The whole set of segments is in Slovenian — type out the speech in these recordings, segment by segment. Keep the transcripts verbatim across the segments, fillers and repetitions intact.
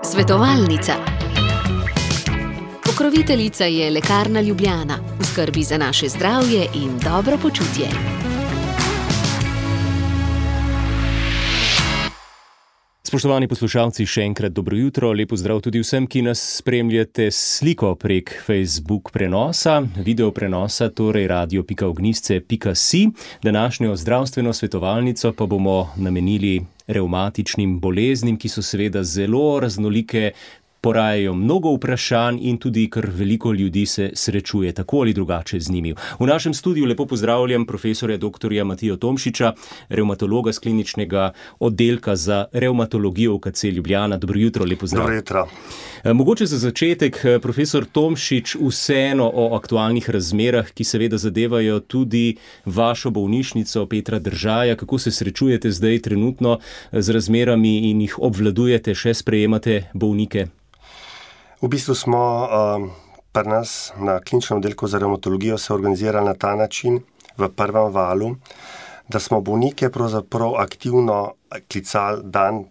Svetovalnica. Pokroviteljica je Lekarna Ljubljana, v skrbi za naše zdravje in dobro počutje. Spoštovani poslušalci, še enkrat dobro jutro, lepo zdrav tudi vsem, ki nas spremljate s sliko prek Facebook prenosa, video prenosa, torej radio pika ognjišče pika si. Današnjo zdravstveno svetovalnico pa bomo namenili revmatičnim boleznim, ki so seveda zelo raznolike, porajajo mnogo vprašanj in tudi kar veliko ljudi se srečuje tako ali drugače z njimi. V našem studiu lepo pozdravljam profesorja doktorja Matijo Tomšiča, revmatologa z kliničnega oddelka za revmatologijo U K C Ljubljana. Dobro jutro, lepo zdrav. Dobro jutro. Mogoče za začetek, profesor Tomšič, vseeno o aktualnih razmerah, ki seveda zadevajo tudi vašo bolnišnico Petra Držaja. Kako se srečujete zdaj trenutno z razmerami in jih obvladujete, še sprejemate bolnike? V bistvu smo uh, pri nas na kliničnem oddelku za revmatologijo se organizirali na ta način v prvem valu, da smo bolnike pravzaprav aktivno klicali dan,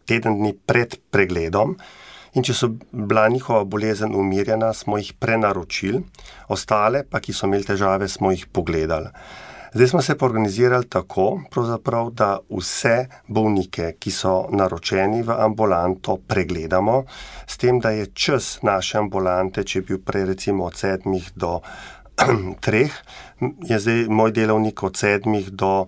teden dni pred pregledom in če so bila njihova bolezen umirjena, smo jih prenaročili, ostale pa, ki so imeli težave, smo jih pogledali. Zdaj smo se pa organizirali tako, pravzaprav, da vse bolnike, ki so naročeni v ambulanto, pregledamo, s tem, da je čas naše ambulante, če je bil prej recimo od sedmih do treh, je zdaj moj delovnik od sedmih do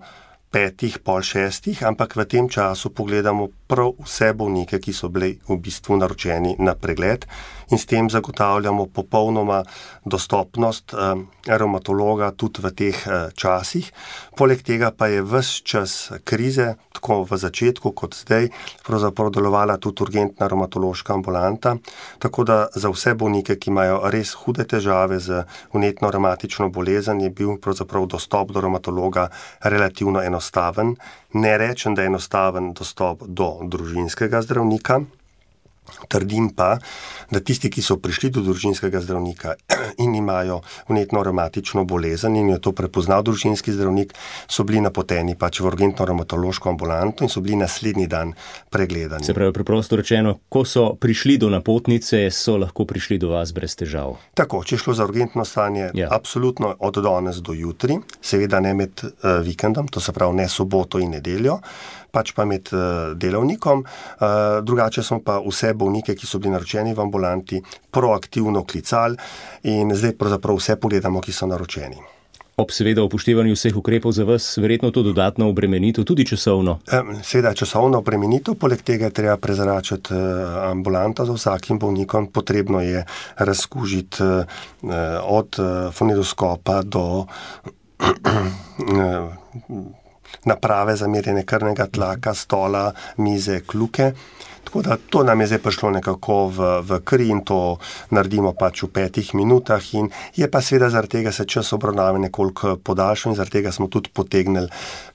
petih, pol šestih, ampak v tem času pogledamo prav vse bolnike, ki so bili v bistvu naročeni na pregled in s tem zagotavljamo popolnoma dostopnost eh, revmatologa tudi v teh eh, časih. Poleg tega pa je ves čas krize, tako v začetku kot zdaj, pravzaprav delovala tudi urgentna revmatološka ambulanta, tako da za vse bolnike, ki imajo res hude težave z vnetno revmatično bolezen, je bil pravzaprav dostop do revmatologa relativno enostaven. Ne rečem, da je enostaven dostop do družinskega zdravnika, trdim pa, da tisti, ki so prišli do družinskega zdravnika in imajo vnetno revmatično bolezen in jo to prepoznal družinski zdravnik, so bili napoteni pač v urgentno revmatološko ambulanto in so bili naslednji dan pregledani. Se pravi, preprosto rečeno, ko so prišli do napotnice, so lahko prišli do vas brez težav. Tako, če je šlo za urgentno stanje, ja. Absolutno od danes do jutri, seveda ne med uh, vikendom, to se pravi ne soboto in nedeljo, pač pa med uh, delovnikom. Uh, drugače smo pa vse bolnike, ki so bili naročeni v ambulanti, proaktivno klicali in zdaj pravzaprav vse pogledamo, ki so naročeni. Ob seveda upoštevanju vseh ukrepov za vas, verjetno to dodatno obremenitev, tudi časovno? Seveda časovno obremenitev, poleg tega je treba prezračiti ambulanto za vsakim bolnikom. Potrebno je razkužiti od fonendoskopa do naprave za merjenje krvnega tlaka, stola, mize, kljuke. Tako da to nam je zdaj prišlo nekako v, v kri in to naredimo pač v petih minutah in je pa seveda zaradi tega se čas obravnave nekoliko podaljšal in zaradi tega smo tudi potegnili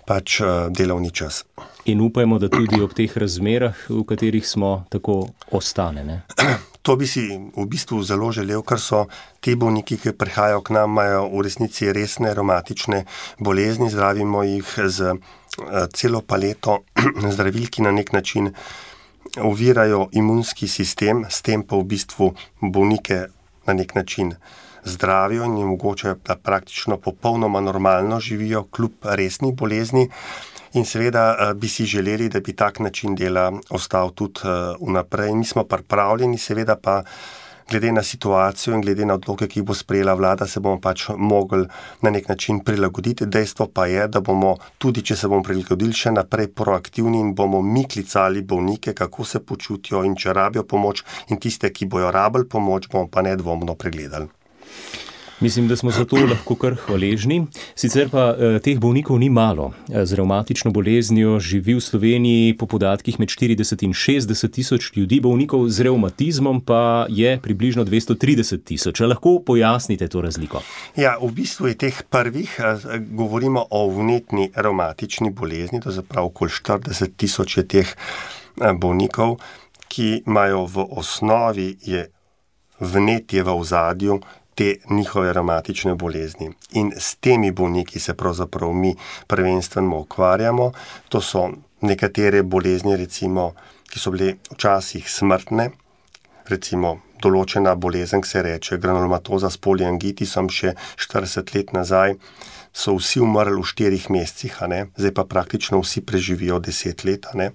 pač delovni čas. In upajmo, da tudi ob teh razmerah, v katerih smo, tako ostane, ne? To bi si v bistvu zelo želel, ker so ti bolniki, ki prihajajo k nam, imajo v resnici resne revmatične bolezni, zdravimo jih z celo paleto zdravil, ki na nek način ovirajo imunski sistem, s tem pa v bistvu bolnike na nek način zdravijo in jim omogočajo, da praktično popolnoma normalno živijo kljub resni bolezni. In seveda bi si želeli, da bi tak način dela ostal tudi vnaprej. Mi smo pripravljeni, seveda pa glede na situacijo in glede na odloke, ki bo sprejela vlada, se bomo pač mogli na nek način prilagoditi. Dejstvo pa je, da bomo tudi, če se bomo prilagodili, še naprej proaktivni in bomo mi klicali bolnike, kako se počutijo in če rabijo pomoč in tiste, ki bojo rabili pomoč, bomo pa nedvomno pregledali. Mislim, da smo za to lahko kar hvaležni. Sicer pa eh, teh bolnikov ni malo. Z revmatično boleznijo živi v Sloveniji po podatkih med štirideset in šestdeset tisoč ljudi, bolnikov z revmatizmom pa je približno dvesto trideset tisoč. Lahko pojasnite to razliko? Ja, v bistvu je teh prvih, govorimo o vnetni revmatični bolezni, to je prav okoli štirideset tisoč je teh bolnikov, ki imajo v osnovi je vnetje v ozadju te njihove revmatične bolezni. In s temi bolniki se pravzaprav mi prvenstveno ukvarjamo. To so nekatere bolezni, recimo, ki so bile včasih smrtne, recimo določena bolezen, ki se reče granulomatoza s poliangitisom, še štirideset let nazaj, so vsi umrli v štirih mesecih, a ne? Zdaj pa praktično vsi preživijo deset let. A ne?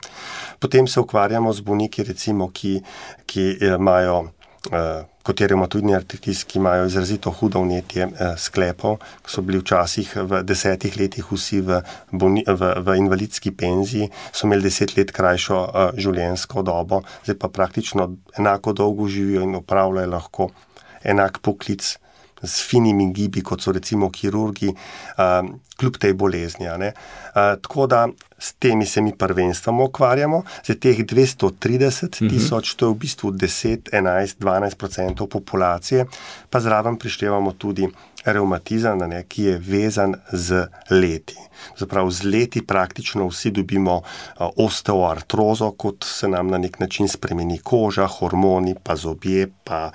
Potem se ukvarjamo z bolniki, recimo, ki, ki imajo, eh, kot je revmatoidni artritis, ki imajo izrazito hudo vnetje eh, sklepov, ki so bili včasih v desetih letih vsi v, bolni, v, v invalidski penziji, so imeli deset let krajšo eh, življenjsko dobo, zdaj pa praktično enako dolgo živijo in opravljajo lahko enak poklic s finimi gibi, kot so recimo kirurgi, uh, kljub tej bolezni. Uh, tako da s temi se mi prvenstveno ukvarjamo, za teh dvesto trideset tisoč, to je v bistvu deset, enajst, dvanajst procentov populacije, pa zraven prištevamo tudi revmatizem, ne, ki je vezan z leti. Zaprav z leti praktično vsi dobimo uh, osteoartrozo, kot se nam na nek način spremeni koža, hormoni, pa zobje, pa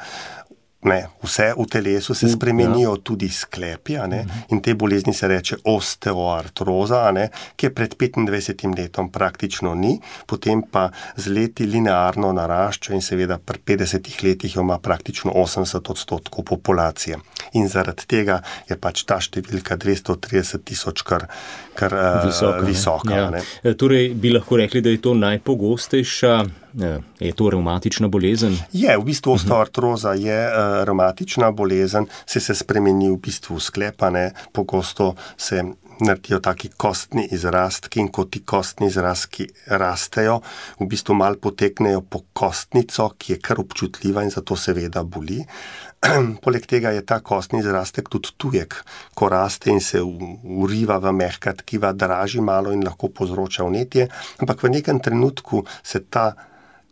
Ne, vse v telesu se spremenijo, tudi sklepi, a ne, in te bolezni se reče osteoartroza, a ne, ki je pred petindvajsetim letom praktično ni, potem pa z leti linearno narašča in seveda pri petdesetih letih jo ima praktično osemdeset odstotkov populacije. In zaradi tega je pač ta številka dvesto trideset tisoč kar, kar visoka. visoka ja. ne. Torej, bi lahko rekli, da je to najpogostejša, je to revmatična bolezen? Je, v bistvu osteoartroza je uh, revmatična bolezen, se se spremeni v bistvu sklepa, ne, pogosto se naredijo taki kostni izrastki in ko ti kostni izrastki rastejo, v bistvu malo poteknejo po kostnico, ki je kar občutljiva in zato seveda boli. Poleg tega je ta kostni izrastek tudi tujek, ko raste in se uriva v mehka tkiva, draži malo in lahko povzroča vnetje, ampak v nekem trenutku se ta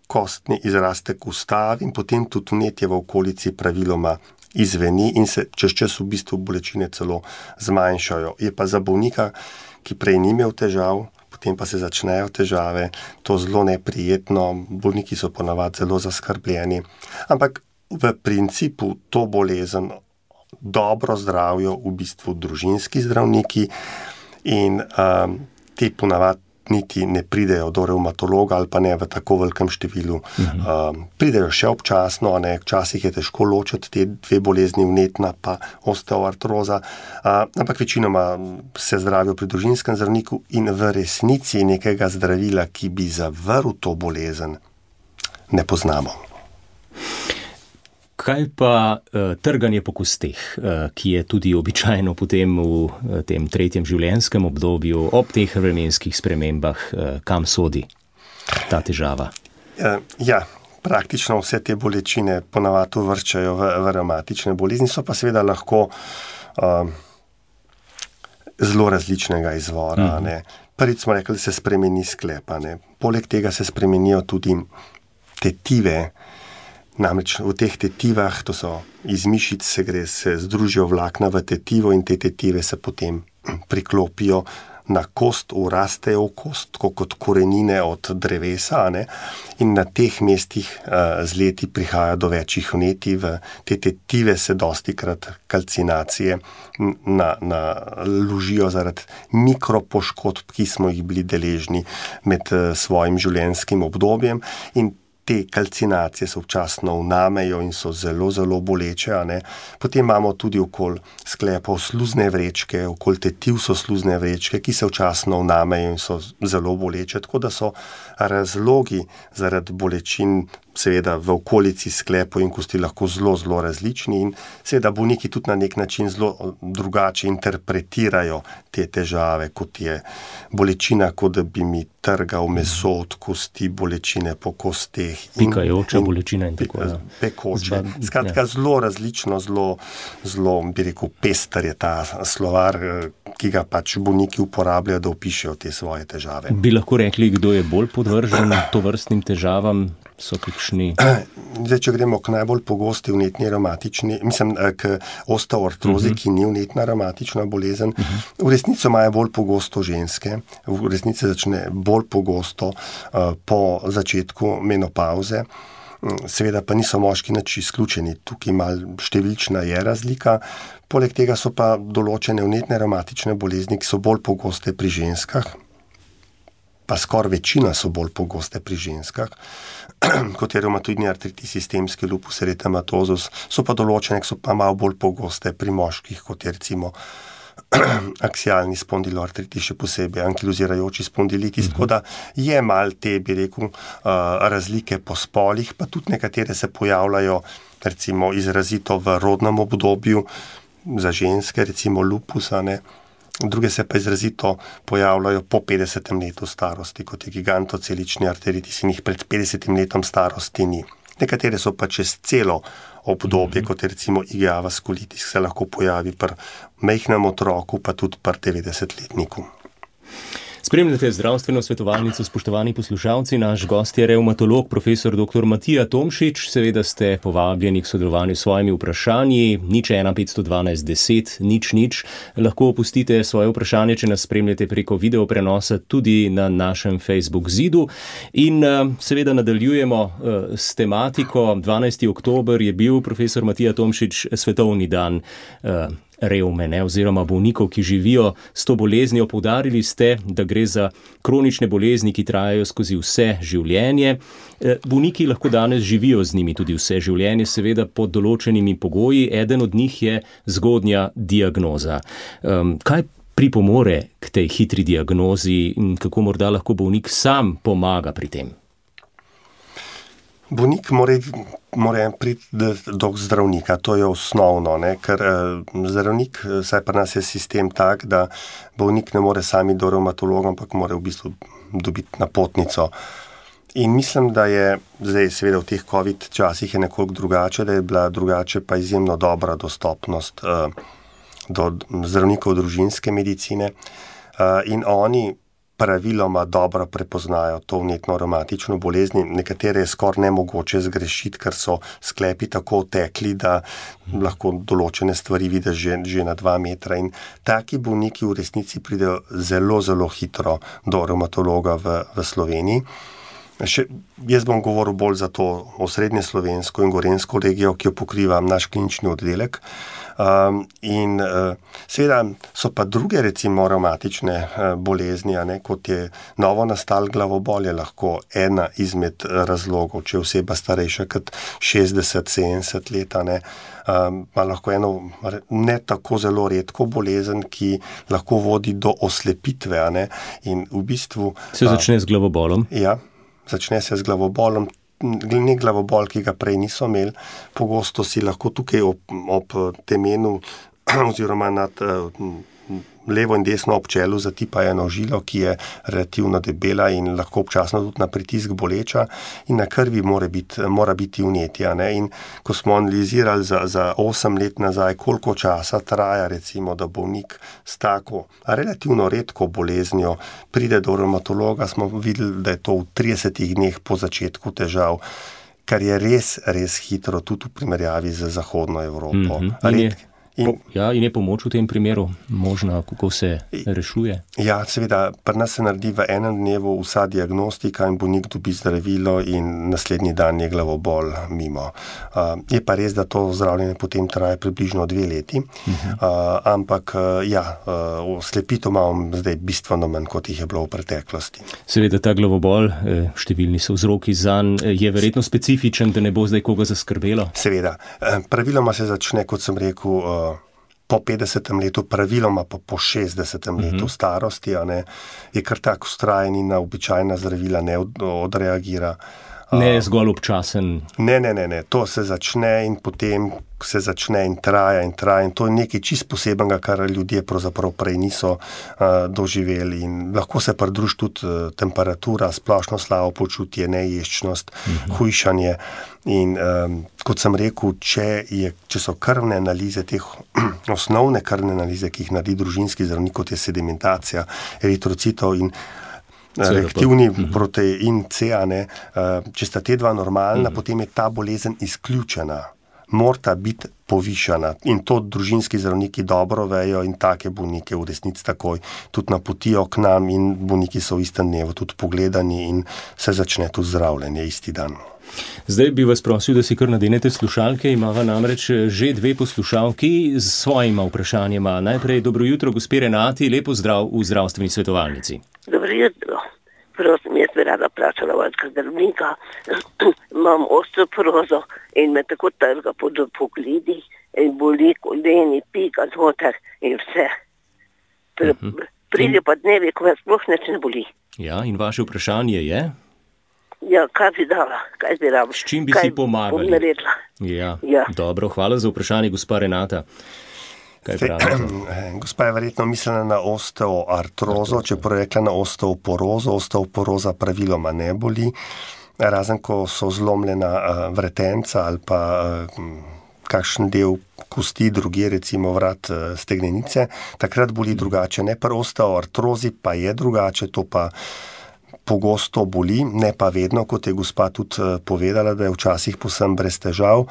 kostni izrastek ustavi in potem tudi vnetje v okolici praviloma izveni in se čez čas v bistvu bolečine celo zmanjšajo. Je pa za bolnika, ki prej ni imel težav, potem pa se začnejo težave, to zelo neprijetno, bolniki so ponavadi zelo zaskrbljeni, ampak v principu to bolezen dobro zdravijo v bistvu družinski zdravniki in um, te ponavadi niti ne pridejo do revmatologa ali pa ne v tako velikem številu. Mhm. Um, pridejo še občasno, ne, včasih je težko ločiti te dve bolezni, vnetna pa osteoartroza, uh, ampak večinoma se zdravijo pri družinskem zdravniku in v resnici nekega zdravila, ki bi zavrl to bolezen, ne poznamo. Kaj pa uh, trganje po kosteh, uh, ki je tudi običajno potem v uh, tem tretjem življenjskem obdobju, ob teh vremenskih spremembah, uh, kam sodi ta težava? Uh, ja, praktično vse te bolečine ponavadi uvrščajo v, v revmatične bolezni, so pa seveda lahko uh, zelo različnega izvora. Mm. Ne. Prvič smo rekli, da se spremeni sklepa. Ne. Poleg tega se spremenijo tudi tetive. Namreč v teh tetivah, to so iz mišic, se gre, se združijo vlakna v tetivo in te tetive se potem priklopijo na kost, urastejo v kost, tako kot korenine od drevesa, ne? In na teh mestih uh, z leti prihaja do večjih vnetij, v te tetive se dostikrat kalcinacije na, na ložijo zaradi mikropoškodb, ki smo jih bili deležni med uh, svojim življenjskim obdobjem in te kalcinacije se občasno vnamejo in so zelo, zelo boleče. A ne? Potem imamo tudi okoli sklepov sluzne vrečke, okoli tetiv so sluzne vrečke, ki se občasno vnamejo in so zelo boleče. Tako da so razlogi zaradi bolečin seveda v okolici sklepov in kosti lahko zelo, zelo različni in seveda bolniki tudi na nek način zelo drugače interpretirajo te težave, kot je bolečina, kot da bi mi trgal meso od kosti, bolečine po kosteh. Pikajoča bolečina in tako. Pekoče. Skratka, zelo različno, zelo, zelo, bi rekel, pester je ta slovar, ki ga pač bolniki uporabljajo, da opišejo te svoje težave. Bi lahko rekli, kdo je bolj podvržen tovrstnim težavam? So kakšni? Zdaj, če gremo k najbolj pogosti vnetni revmatični, mislim, k osteoartrozi, uh-huh. ki ni vnetna revmatična bolezen, uh-huh. v resnici imajo bolj pogosto ženske, v resnici začne bolj pogosto uh, po začetku menopavze, seveda pa niso moški nič izključeni, tukaj malo številčna je razlika, poleg tega so pa določene vnetne revmatične bolezni, ki so bolj pogoste pri ženskah. pa skoraj večina so bolj pogoste pri ženskah, kot je revmatoidni artritis, sistemski lupus eritematosus, so pa določene, ki so pa malo bolj pogoste pri moških, kot je recimo aksialni spondiloartritis, še posebej ankilozirajoči spondilitis, uh-huh. tako da je mal te, bi rekel, razlike po spolih, pa tudi nekatere se pojavljajo recimo izrazito v rodnem obdobju, za ženske, recimo lupusa, ne, druge se pa izrazito pojavljajo po petdesetem letu starosti, kot je gigantocelični arteritis in jih pred petdesetim letom starosti ni. Nekatere so pa čez celo obdobje, kot je recimo I G A vaskulitis, se lahko pojavi pri majhnem otroku, pa tudi pri devetdesetletniku. Spremljate zdravstveno svetovalnico, spoštovani poslušalci, naš gost je revmatolog, profesor doktor Matija Tomšič. Seveda ste povabljeni k sodelovanju s svojimi vprašanji, nič ena petsto dvanajst deset, nič nič. Lahko opustite svoje vprašanje, če nas spremljate preko video prenosa tudi na našem Facebook zidu. In seveda nadaljujemo s tematiko. dvanajsti oktober je bil, profesor Matija Tomšič, svetovni dan revme, ne, oziroma bolnikov, ki živijo s to boleznijo. Poudarili ste, da gre za kronične bolezni, ki trajajo skozi vse življenje. Bolniki lahko danes živijo z njimi tudi vse življenje, seveda pod določenimi pogoji. Eden od njih je zgodnja diagnoza. Kaj pripomore k tej hitri diagnozi in kako morda lahko bolnik sam pomaga pri tem? Bolnik mora, mora priti do zdravnika, to je osnovno, ne? Ker zdravnik, saj pri nas je sistem tak, da bolnik ne more sami do revmatologa, ampak mora v bistvu dobiti napotnico. In mislim, da je zdaj seveda v teh COVID časih je nekoliko drugače, da je bila drugače pa izjemno dobra dostopnost uh, do zdravnikov družinske medicine uh, in oni praviloma dobro prepoznajo to vnetno revmatično bolezni. Nekatere je skoraj nemogoče zgrešiti, ker so sklepi tako tekli, da lahko določene stvari vidiš že, že na dva metra. In taki bolniki v resnici pridejo zelo, zelo hitro do revmatologa v, v Sloveniji. Še, jaz bom govoril bolj za to osrednje slovensko in gorenjsko regijo, ki jo pokriva naš klinični oddelek. Um, in uh, seveda so pa druge recimo revmatične uh, bolezni, a ne, kot je novo nastal glavobol, je lahko ena izmed razlogov, če je oseba starejša kot šestdeset sedemdeset let, a ne, um, pa lahko eno ne tako zelo redko bolezen, ki lahko vodi do oslepitve, a ne, in v bistvu se začne uh, z glavobolom. Ja, začne se z glavobolom. Ne glavobol, ki ga prej niso imeli, pogosto si lahko tukaj ob, ob temenu oziroma nad uh, levo in desno ob čelu zatipa eno žilo, ki je relativno debela in lahko občasno tudi na pritisk boleča in na krvi mora biti, mora biti vnetje. In ko smo analizirali za, za osem let nazaj, koliko časa traja recimo, da bolnik s tako relativno redko boleznijo pride do revmatologa, smo videli, da je to v tridesetih dneh po začetku težav, kar je res, res hitro tudi v primerjavi z zahodno Evropo. Mm-hmm. Po, ja, in je pomoč v tem primeru možna, kako se rešuje? Ja, seveda, pri nas se naredi v enem dnevu vsa diagnostika in bolnik dobi zdravilo in naslednji dan je glavobol mimo. Uh, je pa res, da to zdravljenje potem traja približno dve leti, uh-huh. uh, ampak uh, ja, uh, slepitev imam zdaj bistveno manj, kot jih je bilo v preteklosti. Seveda ta glavobol, številni so vzroki zanj, je verjetno specifičen, da ne bo zdaj koga zaskrbelo? Seveda. Praviloma se začne, kot sem rekel, uh, po petdesetem letu, praviloma pa po šestdesetem letu uh-huh. starosti, a ne, je kar tak vztrajen in na običajna zdravila ne od, odreagira. Ne je zgolj občasen. Ne, ne, ne, ne, to se začne in potem se začne in traja in traja in to je nekaj čist posebenega, kar ljudje pravzaprav prej niso uh, doživeli in lahko se pridruži tudi uh, temperatura, splošno slabo počutje, neješčnost, uh-huh. hujšanje in um, kot sem rekel, če, je, če so krvne analize, teh osnovne krvne analize, ki jih naredi družinski zdravnik, kot je sedimentacija eritrocitov in reaktivni protein C, ne, če sta te dva normalna, mm. potem je ta bolezen izključena. Morata biti povišana in to družinski zdravniki dobro vejo in take bolnike v resnici takoj tudi napotijo k nam in bolniki so v istem dnevu tudi pogledani in se začne tudi zdravljenje isti dan. Zdaj bi vas prosil, da si kar nadenete slušalke, imava namreč že dve poslušalki s svojima vprašanjima. Najprej dobro jutro, gospe Renati, lepo zdrav v zdravstveni svetovalnici. Dobro jutro. prosim, jaz bi rada plačala vašega zdravnika, imam osteoporozo in me tako trga po pogledih in boli koleni, pika znotraj in vse. Pr- Mhm. Pride pa dnevi, ko me sploh nič ne boli. Ja, in vaše vprašanje je? Ja, kaj bi dala, kaj bi rabila? S čim bi kaj si pomagali? bom naredila? Ja, Ja. dobro, hvala za vprašanje, gospa Renata. Kaj pravite? Gospa je verjetno mislila na osteoartrozo, čeprav je rekla na osteoporozo. Osteoporoza praviloma ne boli, razen ko so zlomljena uh, vretenca ali pa uh, kakšen del kosti, druge recimo vrat uh, stegnenice, takrat boli drugače. Ne, pri osteoartrozi pa je drugače, to pa pogosto boli, ne pa vedno, kot je gospa tudi uh, povedala, da je včasih povsem brez težav.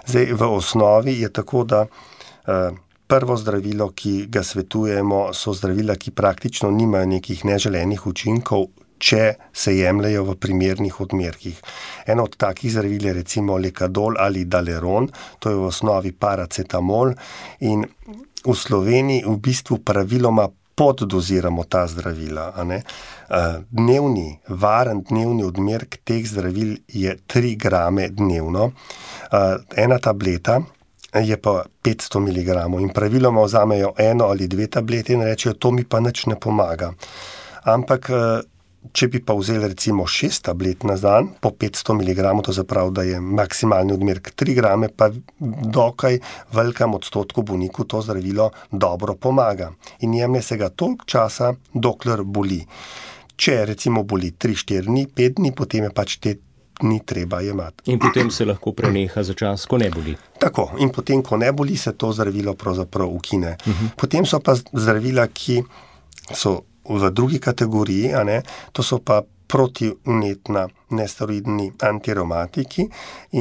Zdaj, v osnovi je tako, da uh, prvo zdravilo, ki ga svetujemo, so zdravila, ki praktično nimajo nekih neželenih učinkov, če se jemljajo v primernih odmerkih. Eno od takih zdravil je recimo Lekadol ali Daleron, to je v osnovi paracetamol in v Sloveniji v bistvu praviloma poddoziramo ta zdravila. A ne? Dnevni, varen dnevni odmerek teh zdravil je tri grame dnevno. Ena tableta je pa petsto miligramov in praviloma vzamejo eno ali dve tablete in rečejo, to mi pa nič ne pomaga. Ampak, če bi pa vzeli recimo šest tablet na dan po petsto miligramov, to zapravi, da je maksimalni odmerek tri grame, pa dokaj velikem odstotku bolnikov to zdravilo dobro pomaga. In jemlje se ga toliko časa, dokler boli. Če recimo boli tri, štiri dni, pet dni, potem je pač te ni treba jemati. In potem se lahko preneha za čas, ko ne boli. Tako, in potem, ko ne boli, se to zdravilo pravzaprav ukine. Uh-huh. Potem so pa zdravila, ki so v drugi kategoriji, a ne, to so pa protivnetna nesteroidni antireumatiki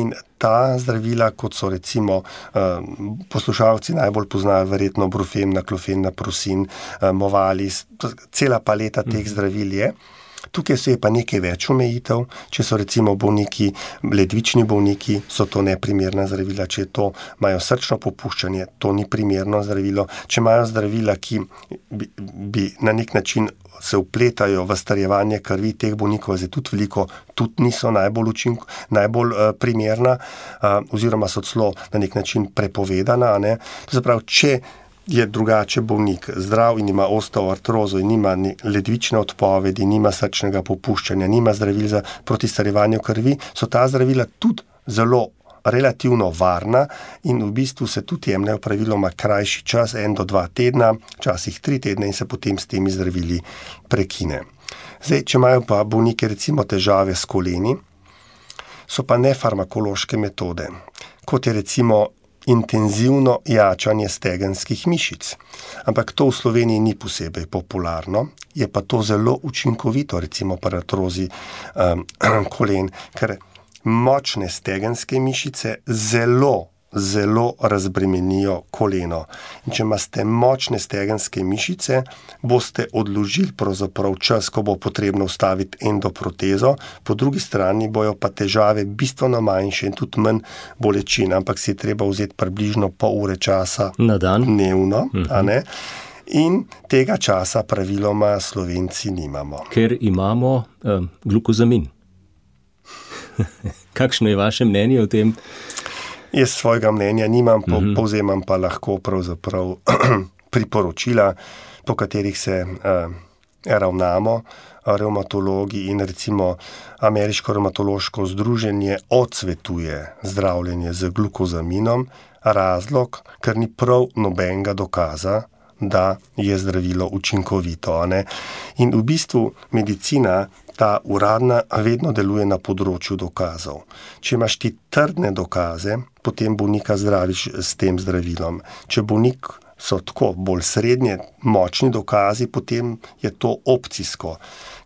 in ta zdravila, kot so recimo uh, poslušalci najbolj poznajo verjetno Brufen, Naklofen, Naprosin, uh, Movalis, cela paleta teh uh-huh. zdravil je. Tukaj so je pa nekaj več omejitev, če so recimo bolniki, ledvični bolniki, so to neprimerna zdravila, če to imajo srčno popuščanje, to ni primerno zdravilo, če imajo zdravila, ki bi, bi na nek način se vpletajo v starjevanje krvi, teh bolnikov je tudi veliko, tudi niso najbolj, učink, najbolj uh, primerna, uh, oziroma so celo na nek način prepovedana. Ne? To se pravi, če je drugače bolnik zdrav in ima osteoartrozo in nima ledvične odpovedi, nima srčnega popuščanja, nima zdravil za proti starjevanju krvi, so ta zdravila tudi zelo relativno varna in v bistvu se tudi jemljajo praviloma krajši čas, en do dva tedna, včasih tri tedne in se potem s temi zdravili prekine. Zdaj, če imajo pa bolniki recimo težave s koleni, so pa nefarmakološke metode, kot je recimo intenzivno jačanje stegenskih mišic. Ampak to v Sloveniji ni posebej popularno, je pa to zelo učinkovito, recimo pri artrozi um, kolen, ker močne stegenske mišice zelo zelo razbremenijo koleno. In če imate močne stegenske mišice, boste odložili pravzaprav čas, ko bo potrebno vstaviti endoprotezo, po drugi strani bojo pa težave bistveno manjše in tudi manj bolečin, ampak si je treba vzeti približno pol ure časa na dan dnevno, uh-huh. a ne? In tega časa praviloma Slovenci nimamo. Ker imamo um, glukozamin. Kakšno je vaše mnenje o tem? Jaz svojega mnenja nimam, po, uh-huh. povzemam pa lahko pravzaprav priporočila, po katerih se uh, ravnamo revmatologi in recimo Ameriško revmatološko združenje odsvetuje zdravljenje z glukozaminom, razlog, ker ni prav nobenega dokaza, da je zdravilo učinkovito. Ne? In v bistvu medicina, ta uradna, vedno deluje na področju dokazov. Če imaš ti trdne dokaze, potem bolnika zdraviš s tem zdravilom. Če bolnik so tako bolj srednje močni dokazi, potem je to opcijsko.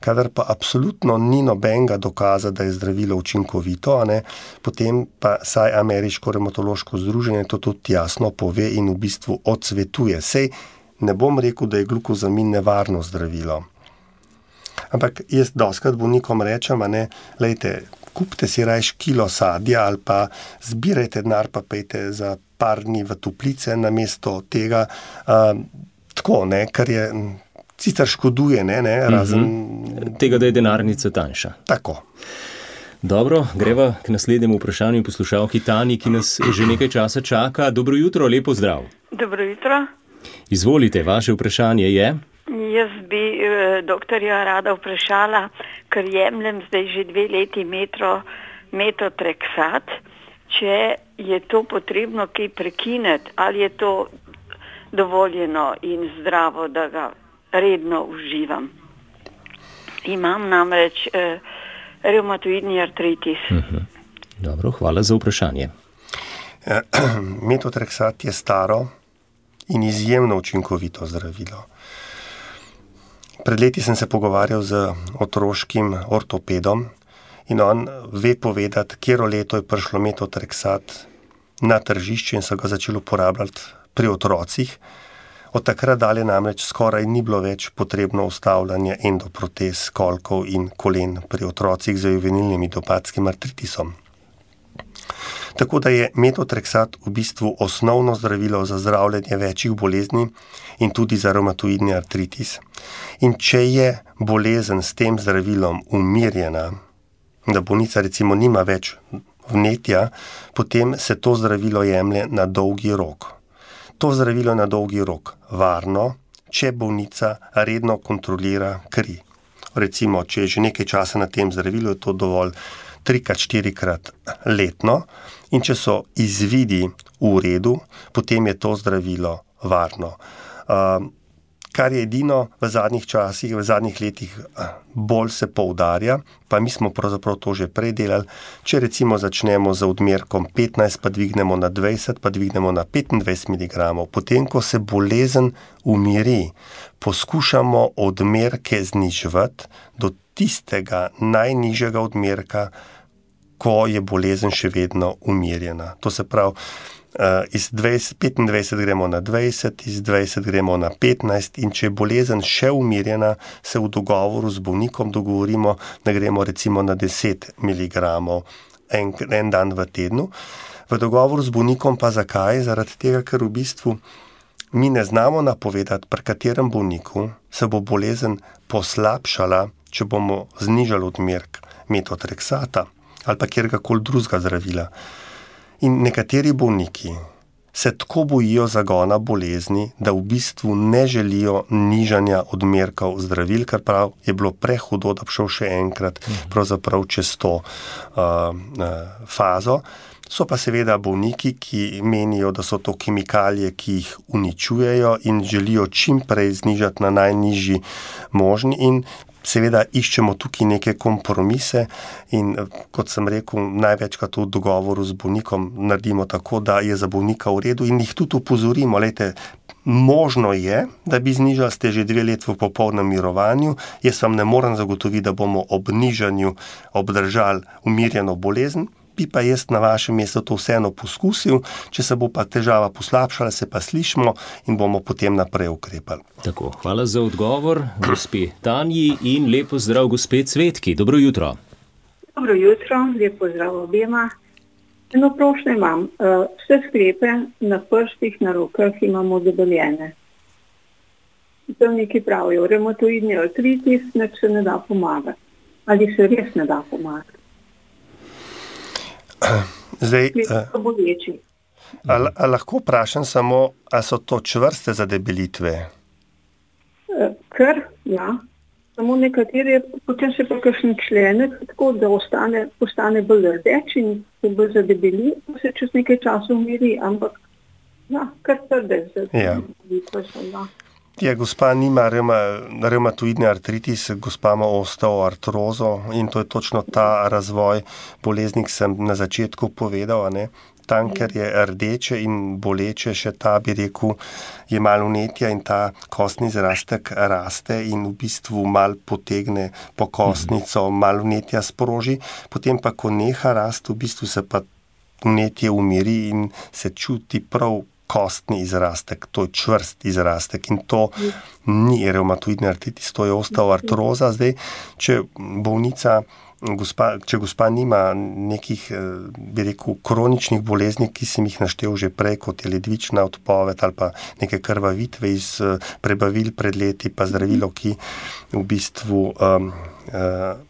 Kadar pa absolutno ni nobenega dokaza, da je zdravilo učinkovito, a ne, potem pa saj Ameriško revmatološko združenje to tudi jasno pove in v bistvu odsvetuje. Sej ne bom rekel, da je glukozamin nevarno zdravilo. Ampak jaz doskrat bolnikom rečem, a ne, lejte, kupite si rajš kilo sadja ali pa zbirajte denar, pa pejte za par dni v toplice namesto tega. Uh, tako, ne, ker je sicer škoduje, ne, ne, razen... Mm-hmm. Tega, da je denarnica tanjša. Tako. Dobro, greva k naslednjemu vprašanju poslušalki Tani, ki nas že nekaj časa čaka. Dobro jutro, lepo zdrav. Dobro jutro. Izvolite, vaše vprašanje je? Jaz bi eh, doktorja rada vprašala, ker jemljem zdaj že dve leti metro, metotrexat, če je to potrebno kaj prekineti, ali je to dovoljeno in zdravo, da ga redno uživam. Imam namreč eh, revmatoidni artritis. Uh-huh. Dobro, hvala za vprašanje. Metotrexat je staro in izjemno učinkovito zdravilo. Pred leti sem se pogovarjal z otroškim ortopedom in on ve povedati, katero leto je prišlo metotrexat na tržišče in so ga začeli uporabljati pri otrocih. Od takrat dalje namreč skoraj ni bilo več potrebno ustavljanje endoprotez, kolkov in kolen pri otrocih z juvenilnim idiopatskim artritisom. Tako da je metotrexat v bistvu osnovno zdravilo za zdravljenje večjih bolezni in tudi za revmatoidni artritis. In če je bolezen s tem zdravilom umirjena, da bolnica recimo nima več vnetja, potem se to zdravilo jemlje na dolgi rok. To zdravilo je na dolgi rok varno, če bolnica redno kontrolira kri. Recimo, če je že nekaj časa na tem zdravilu, je to dovolj trikrat, štirikrat letno in če so izvidi v redu, potem je to zdravilo varno. Uh, kar je edino v zadnjih časih, v zadnjih letih bolj se poudarja, pa mi smo pravzaprav to že prej delali, če recimo začnemo z odmerkom petnajst, pa dvignemo na dvajset, pa dvignemo na petindvajset miligramov, potem, ko se bolezen umiri, poskušamo odmerke znižvati do tistega najnižjega odmerka, ko je bolezen še vedno umirjena. To se pravi, iz dvajset, petindvajset gremo na dvajset, iz dvajset gremo na petnajst in če je bolezen še umirjena, se v dogovoru z bolnikom dogovorimo, da gremo recimo na deset miligramov en, en dan v tednu. V dogovoru z bolnikom pa zakaj? Zaradi tega, ker v bistvu mi ne znamo napovedati, pri katerem bolniku se bo bolezen poslabšala, če bomo znižali odmerek metotrexata ali pa kjerkoli drugega zdravila. In nekateri bolniki se tako bojijo zagona bolezni, da v bistvu ne želijo nižanja odmerkov zdravil, kar prav je bilo prehudo, da bi šel še enkrat pravzaprav čez to uh, uh, fazo. So pa seveda bolniki, ki menijo, da so to kemikalije, ki jih uničujejo in želijo čim prej znižati na najnižji možni in seveda iščemo tukaj neke kompromise in kot sem rekel, največkrat v dogovoru z bolnikom naredimo tako, da je za bolnika v redu in jih tudi upozorimo, lejte, možno je, da bi znižali, ste že dve let v popolnem mirovanju, jaz vam ne morem zagotoviti, da bomo ob nižanju obdržali umirjeno bolezen, bi pa jaz na vašem mestu to vseeno poskusil, če se bo pa težava poslabšala, se pa slišimo in bomo potem naprej ukrepali. Tako, hvala za odgovor, gospe Tanji in lepo zdrav gospe Cvetki. Dobro jutro. Dobro jutro, lepo zdrav obema. Eno prošnjo imam. Vse sklepe na prstih, na rokah imamo debeljene. Zdravniki pravijo, revmatoidni artritis, nič se ne da pomagati. Ali se res ne da pomagati? Zdaj, a, a lahko vprašam samo, a so to čvrste zadebelitve? Ker, ja. Samo nekateri, potem se pa kakšen členek, tako da ostane, postane bolj rdeč in se bolj zadebeli, pa se čez nekaj časa umiri, ampak ja, kar trde zadebelitve so, ja. Ja, gospa nima reuma, reumatoidni artritis, gospa ima osteoartrozo in to je točno ta razvoj bolezni, ki sem na začetku povedal, ne? Tam, ker je rdeče in boleče, še ta, bi rekel, je malo vnetja in ta kostni zrastek raste in v bistvu malo potegne po kostnico, malo vnetja sproži, potem pa, ko neha rast, v bistvu se pa vnetje umiri in se čuti prav kostni izrastek, to je čvrst izrastek in to ni reumatoidni artritis, to je osteoartroza. Zdaj, če bolnica gospa, če gospa nima nekih, bi rekel, kroničnih bolezni, ki sem jih naštel že prej, kot je ledvična odpoved ali pa neke krvavitve iz prebavil pred leti, pa zdravilo, ki v bistvu um, uh,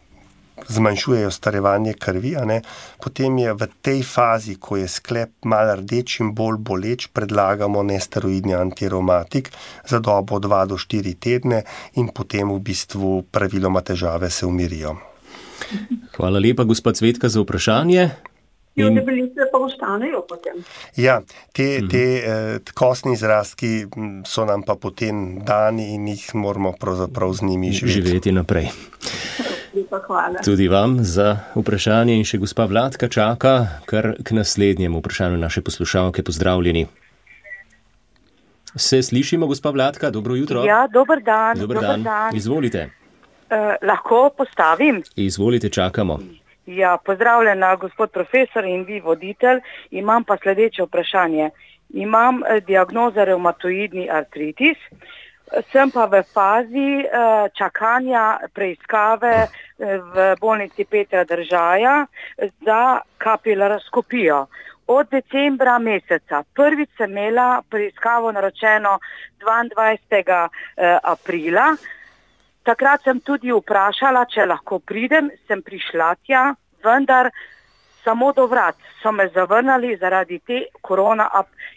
zmanjšujejo starevanje krvi, a ne? Potem je v tej fazi, ko je sklep malo rdeč in bolj boleč, predlagamo nesteroidni antireumatik za dobo dva do štiri tedne in potem v bistvu praviloma težave se umirijo. Hvala lepa, gospod Cvetka, za vprašanje. In debelice pa ostanejo potem. Ja, te, te eh, kostni izrastki so nam pa potem dani in jih moramo pravzaprav z njimi živeti. Živeti naprej. Hvala. Tudi vam za vprašanje in še gospa Vladka čaka kar k naslednjemu vprašanju naše poslušalke. Pozdravljeni. Se slišimo, gospa Vladka? Dobro jutro. Ja, dober dan. Dober dan. dan. Izvolite. Uh, lahko postavim? Izvolite, čakamo. Ja, pozdravljena, gospod profesor in vi voditelj. Imam pa sledeče vprašanje. Imam eh, diagnozo revmatoidni artritis. Sem pa v fazi uh, čakanja preiskave uh, v bolnici Petra Držaja za kapilaroskopijo. Od decembra meseca. Prvič sem imela preiskavo naročeno dvaindvajsetega aprila. Takrat sem tudi vprašala, če lahko pridem, sem prišla tja, vendar samo do vrat so me zavrnili zaradi te korona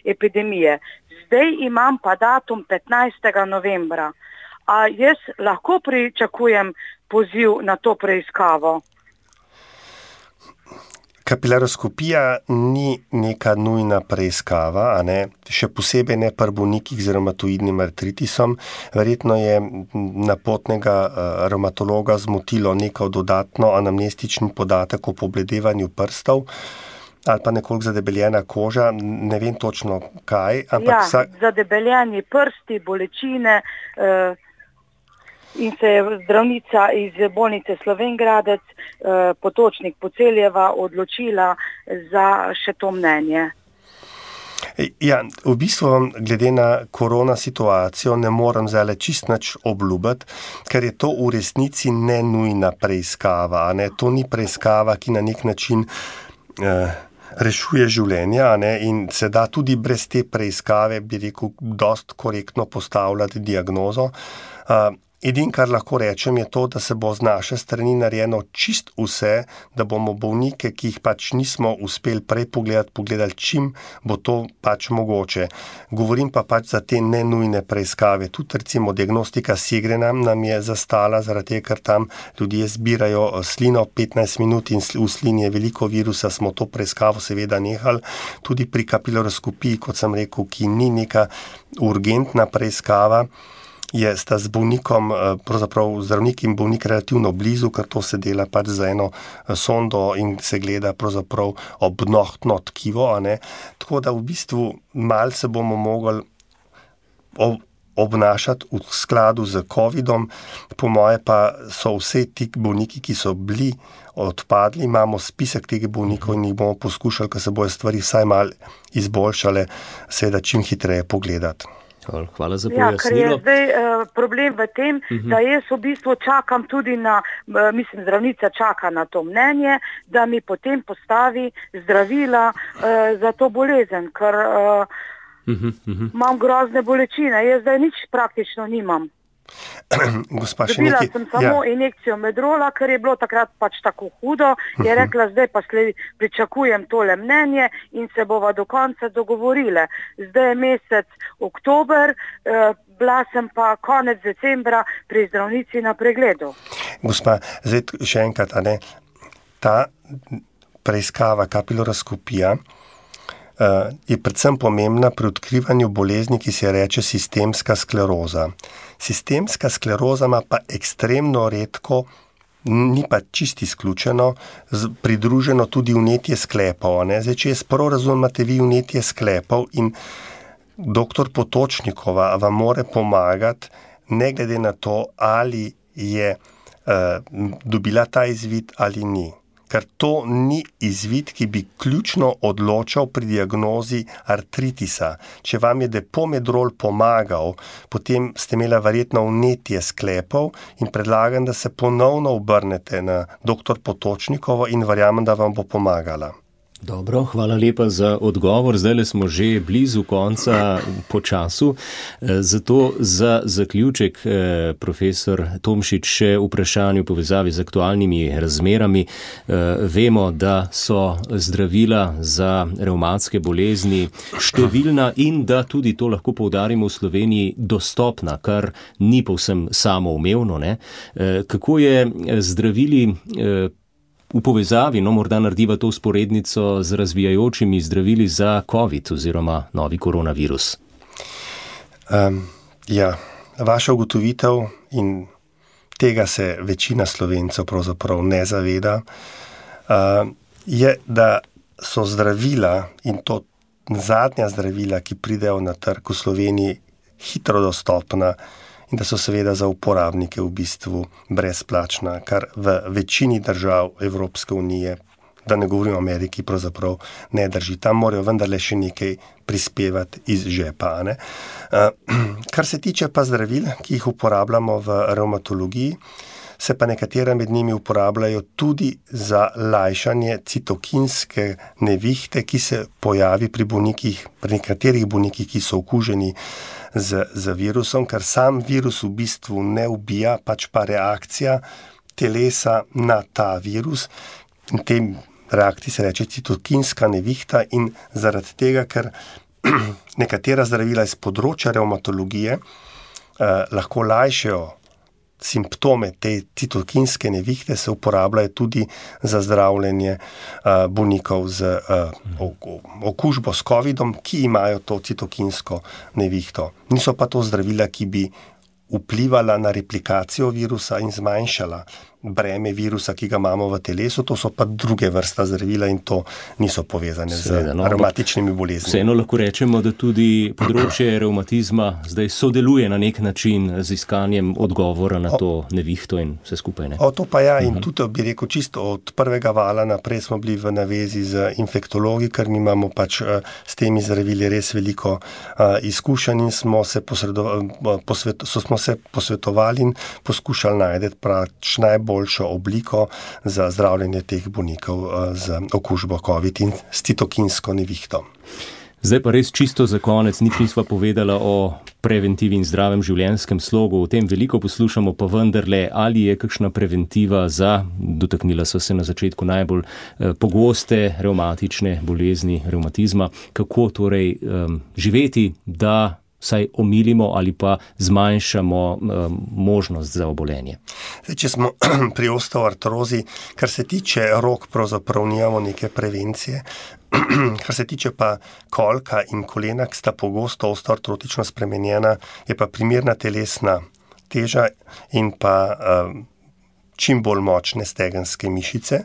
epidemije. Zdaj imam pa datum petnajstega novembra. A jaz lahko pričakujem poziv na to preiskavo? Kapilaroskopija ni neka nujna preiskava, a ne? Še posebej ne pri bolnikih z revmatoidnim artritisom. Verjetno je napotnega revmatologa zmotilo neko dodatno anamnestični podatek o pobledevanju prstov ali pa nekoliko zadebeljena koža, ne vem točno kaj. Ampak ja, vsak... zadebeljeni prsti, bolečine eh, in se je zdravnica iz bolnice Slovenj Gradec, eh, Potočnik Poceljeva, odločila za še to mnenje. Ja, v bistvu glede na korona situacijo ne morem zdaj čist nič obljubiti, ker je to v resnici ne nujna preiskava. Ne? To ni preiskava, ki na nek način eh, rešuje življenja, ne? In se da tudi brez te preiskave, bi rekel, dost korektno postavljati diagnozo. Uh, Edin, kar lahko rečem, je to, da se bo z naše strani narejeno čist vse, da bomo bolnike, ki jih pač nismo uspeli prej pogledati, pogledali, čim bo to pač mogoče. Govorim pa pač za te nenujne preiskave. Tudi recimo diagnostika Segrena nam je zastala, zaradi tega, ker tam ljudje zbirajo slino petnajst minut in v slini je veliko virusa, smo to preiskavo seveda nehali. Tudi pri kapilaroskopiji, kot sem rekel, ki ni neka urgentna preiskava, je sta z bolnikom, pravzaprav zdravnik in bolnik relativno blizu, ker to se dela pač za eno sondo in se gleda pravzaprav obnohtno tkivo, a ne. Tako da v bistvu malo se bomo mogli obnašati v skladu z covidom. Po moje pa so vse ti bolniki, ki so bili odpadli, imamo spisek teh bolnikov in jih bomo poskušali, ker se bojo stvari vsaj malo izboljšale, seveda čim hitreje pogledati. Hvala za ja, pojasnilo. Ker je zdaj uh, problem v tem, uh-huh. da jaz v bistvu čakam tudi na, uh, mislim, zdravnica čaka na to mnenje, da mi potem postavi zdravila uh, za to bolezen, ker uh, uh-huh, uh-huh. imam grozne bolečine. Jaz zdaj nič praktično nimam. Dobila sem samo ja. injekcijo medrola, ker je bilo takrat pač tako hudo, je rekla, zdaj pa sledi, pričakujem tole mnenje in se bova do konca dogovorile. Zdaj je mesec oktober, eh, bila sem pa konec decembra pri zdravnici na pregledu. Gospa, zdaj še enkrat, a ne, ta preiskava kapilaroskopija Uh, je predvsem pomembna pri odkrivanju bolezni, ki se reče sistemska skleroza. Sistemska skleroza ima pa ekstremno redko, ni pa čisto izključeno, z, pridruženo tudi vnetje sklepov. Ne? Zdaj, če jaz prav razumem, imate vi vnetje sklepov in doktor Potočnikova vam more pomagati, ne glede na to, ali je uh, dobila ta izvid ali ni. ker to ni izvid, ki bi ključno odločal pri diagnozi artritisa. Če vam je depomedrol pomagal, potem ste imeli verjetno vnetje sklepov in predlagam, da se ponovno obrnete na doktor Potočnikovo in verjamem, da vam bo pomagala. Dobro, hvala lepa za odgovor. Zdaj smo že blizu konca po času. Zato za zaključek, profesor Tomšič, še vprašanje v povezavi z aktualnimi razmerami. Vemo, da so zdravila za revmatske bolezni številna in da tudi to lahko poudarimo v Sloveniji dostopna, kar ni povsem samoumevno, ne? Kako je zdravili v povezavi, no morda narediva to vzporednico z razvijajočimi zdravili za COVID oziroma novi koronavirus? Um, ja, vaša ugotovitev, in tega se večina Slovencev pravzaprav ne zaveda, uh, je, da so zdravila, in to zadnja zdravila, ki pridejo na trg v Sloveniji, hitro dostopna in da so seveda za uporabnike v bistvu brezplačna, kar v večini držav Evropske unije, da ne govorim o Ameriki, pravzaprav ne drži. Tam morajo vendarle še nekaj prispevati iz žepa. Ne? Kar se tiče pa zdravil, ki jih uporabljamo v revmatologiji, se pa nekatera med njimi uporabljajo tudi za lajšanje citokinske nevihte, ki se pojavi pri bolnikih, pri nekaterih bolnikih, ki so okuženi z, z virusom, ker sam virus v bistvu ne ubija, pač pa reakcija telesa na ta virus. In tem reakciji se reče citokinska nevihta in zaradi tega, ker nekatera zdravila iz področja revmatologije eh, lahko lajšajo simptome te citokinske nevihte, se uporabljajo tudi za zdravljenje uh, bolnikov z uh, okužbo s covidom, ki imajo to citokinsko nevihto. Niso pa to zdravila, ki bi vplivala na replikacijo virusa in zmanjšala breme virusa, ki ga imamo v telesu, to so pa druge vrsta zdravila in to niso povezane Seveda, z no, revmatičnimi boleznimi. Vseeno lahko rečemo, da tudi področje revmatizma zdaj sodeluje na nek način z iskanjem odgovora na o, to nevihto in vse skupaj. Ne? O, to pa ja, in uh-huh. tudi bi rekel čisto od prvega vala naprej smo bili v navezi z infektologi, ker mi imamo pač uh, s temi zdravili res veliko uh, izkušenj in smo se, posredo- posvet- so smo se posvetovali in poskušali najti pač najbolj boljšo obliko za zdravljenje teh bolnikov z okužbo COVID in s citokinsko nevihto. Zdaj pa res čisto za konec, nič nisva povedala o preventivi in zdravem življenjskem slogu. O tem veliko poslušamo, pa vendarle, ali je kakšna preventiva za, dotaknila so se na začetku najbolj eh, pogoste revmatične bolezni, revmatizma, kako torej um, živeti, da saj omilimo ali pa zmanjšamo um, možnost za obolenje. Zdaj, če smo pri osteoartrozi, kar se tiče rok, pravzaprav nijamo neke prevencije. Kar se tiče pa kolka in kolena, ki sta pogosto osteoartrotično spremenjena, je pa primerna telesna teža in pa um, čim bolj močne stegenske mišice.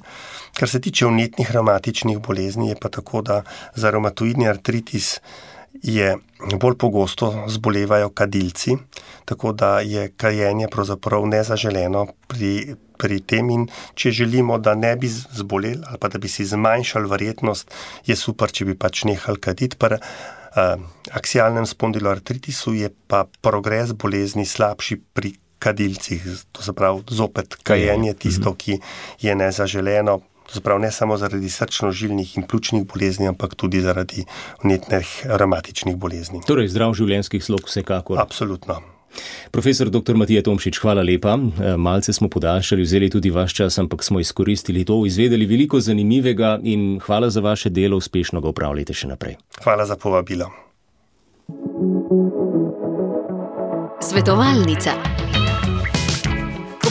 Kar se tiče vnetnih revmatičnih bolezni, je pa tako, da za revmatoidni artritis je bolj pogosto zbolevajo kadilci, tako da je kajenje pravzaprav nezaželeno pri, pri tem in če želimo, da ne bi zboleli ali pa da bi si zmanjšali verjetnost, je super, če bi pač nehali kaditi. Pri uh, aksialnem spondiloartritisu je pa progres bolezni slabši pri kadilcih, to se pravi zopet kajenje tisto, ki je nezaželeno. Zaprav ne samo zaradi srčno-žilnih in pljučnih bolezni, ampak tudi zaradi vnetnih revmatičnih bolezni. Torej, zdrav življenjski slog vsekakor. Absolutno. Profesor doktor Matija Tomšič, hvala lepa. Malce smo podaljšali, vzeli tudi vaš čas, ampak smo izkoristili to, izvedeli veliko zanimivega in hvala za vaše delo, uspešno ga upravljajte še naprej. Hvala za povabilo. Svetovalnica.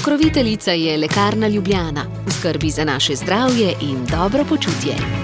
Pokroviteljica je Lekarna Ljubljana, v skrbi za naše zdravje in dobro počutje.